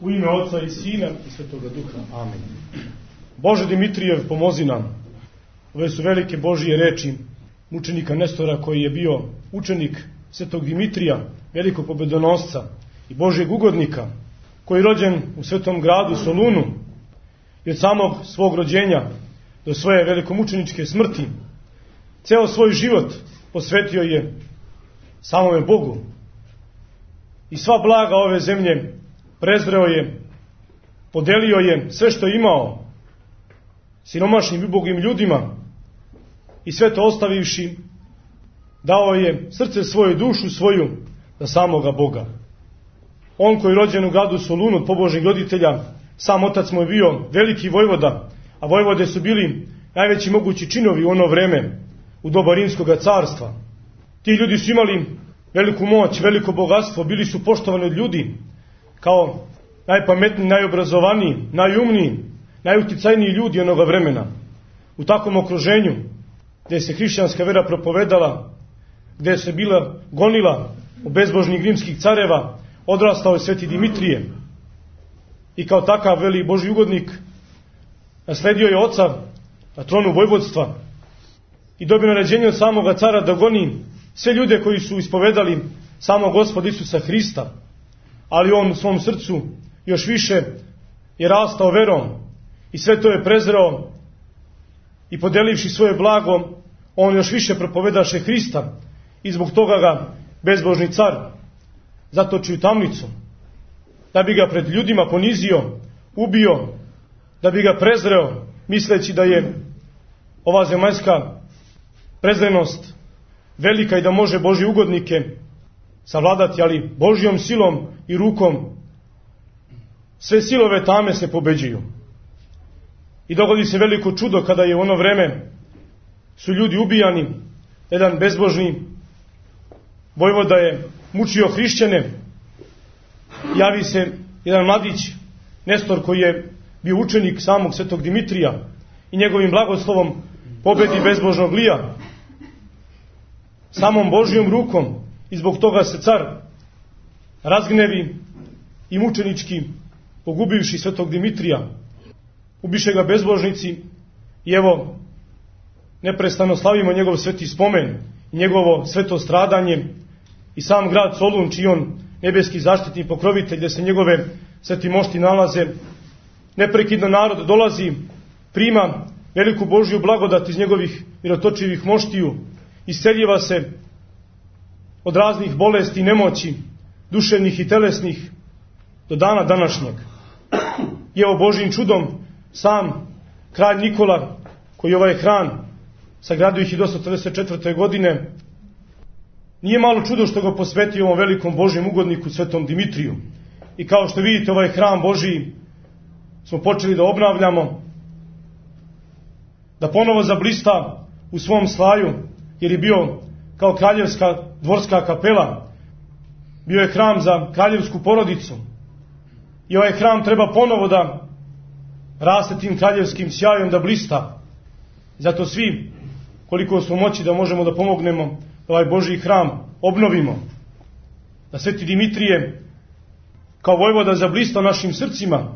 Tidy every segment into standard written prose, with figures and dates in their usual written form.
U ime Oca i Sina i Svetoga Duha. Amen. Bože Dimitrijev, pomozi nam. Ove su velike Božije reči mučenika Nestora, koji je bio učenik Svetog Dimitrija, velikog pobedonosca i Božjeg ugodnika, koji je rođen u svetom gradu Solunu i od samog svog rođenja do svoje velikomučeničke smrti ceo svoj život posvetio je samome Bogu. I sva blaga ove zemlje prezreo je, podelio je sve što je imao siromašnim i ubogim ljudima i sve to ostavivši dao je srce svoje, dušu svoju za samoga Boga. On koji je rođen u gradu Solunu od pobožnih roditelja, sam otac mu je bio veliki vojvoda, a vojvode su bili najveći mogući činovi u ono vreme, u doba Rimskog carstva. Ti ljudi su imali veliku moć, veliko bogatstvo, bili su poštovani od ljudi kao najpametniji, najobrazovaniji, najumniji, najuticajniji ljudi onoga vremena. U takvom okruženju gdje se hrišćanska vera propovedala, gdje se bila gonila u bezbožnih rimskih careva, odrastao je Sveti Dimitrije i kao takav veli Božji ugodnik nasledio je oca na tronu vojvodstva i dobio naređenje od samoga cara da goni sve ljude koji su ispovedali samog Gospoda Isusa Hrista, ali on u svom srcu još više je rastao verom i sve to je prezreo i podelivši svoje blago, on još više propovedaše Hrista i zbog toga ga bezbožni car zatoči u tamnicu, da bi ga pred ljudima ponizio, ubio, da bi ga prezreo, misleći da je ova zemaljska prezrenost velika i da može Božje ugodnike savladati, ali Božjom silom i rukom sve silove tame se pobeđuju. I dogodi se veliko čudo kada je u ono vreme su ljudi ubijani, jedan bezbožni vojvoda je mučio hrišćane, javi se jedan mladić, Nestor, koji je bio učenik samog Svetog Dimitrija i njegovim blagoslovom pobedi bezbožnog Lija samom Božjom rukom, i zbog toga se car razgnevi i mučenički, pogubivši Svetog Dimitrija, ubiše ga bezbožnici i evo neprestano slavimo njegov sveti spomen i njegovo sveto stradanje i sam grad Solun, čiji on nebeski zaštitni pokrovitelj, gdje se njegove sveti mošti nalaze. Neprekidno narod dolazi, prima veliku Božju blagodat iz njegovih mirotočivih moštiju, isceljiva se od raznih bolesti i nemoći, duševnih i telesnih, do dana današnjeg. I evo Božjim čudom sam kralj Nikola, koji ovaj hram sagradio 1144. godine, nije malo čudo što ga posvetio ovom velikom Božjem ugodniku Svetom Dimitriju. I kao što vidite, ovaj hram Božji smo počeli da obnavljamo, da ponovo zablista u svom slaju, jer je bio kao kraljevska dvorska kapela, bio je hram za kraljevsku porodicu. I ovaj hram treba ponovo da raste tim kraljevskim sjajom, da blista. Zato svi, koliko smo moći, da možemo da pomognemo da ovaj Božji hram obnovimo, da Sveti Dimitrije kao vojvoda zablista našim srcima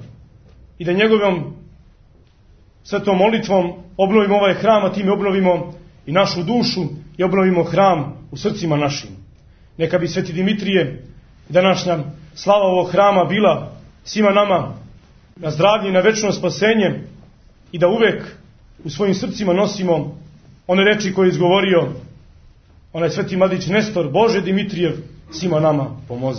i da njegovom svetom molitvom obnovimo ovaj hram, a time obnovimo i našu dušu i obnovimo hram u srcima našim. Neka bi Sveti Dimitrije, današnja slava ovog hrama, bila svima nama na zdravlje i na večno spasenje i da uvek u svojim srcima nosimo one reči koje je izgovorio onaj sveti mladić Nestor: Bože Dimitrijev, svima nama pomozi.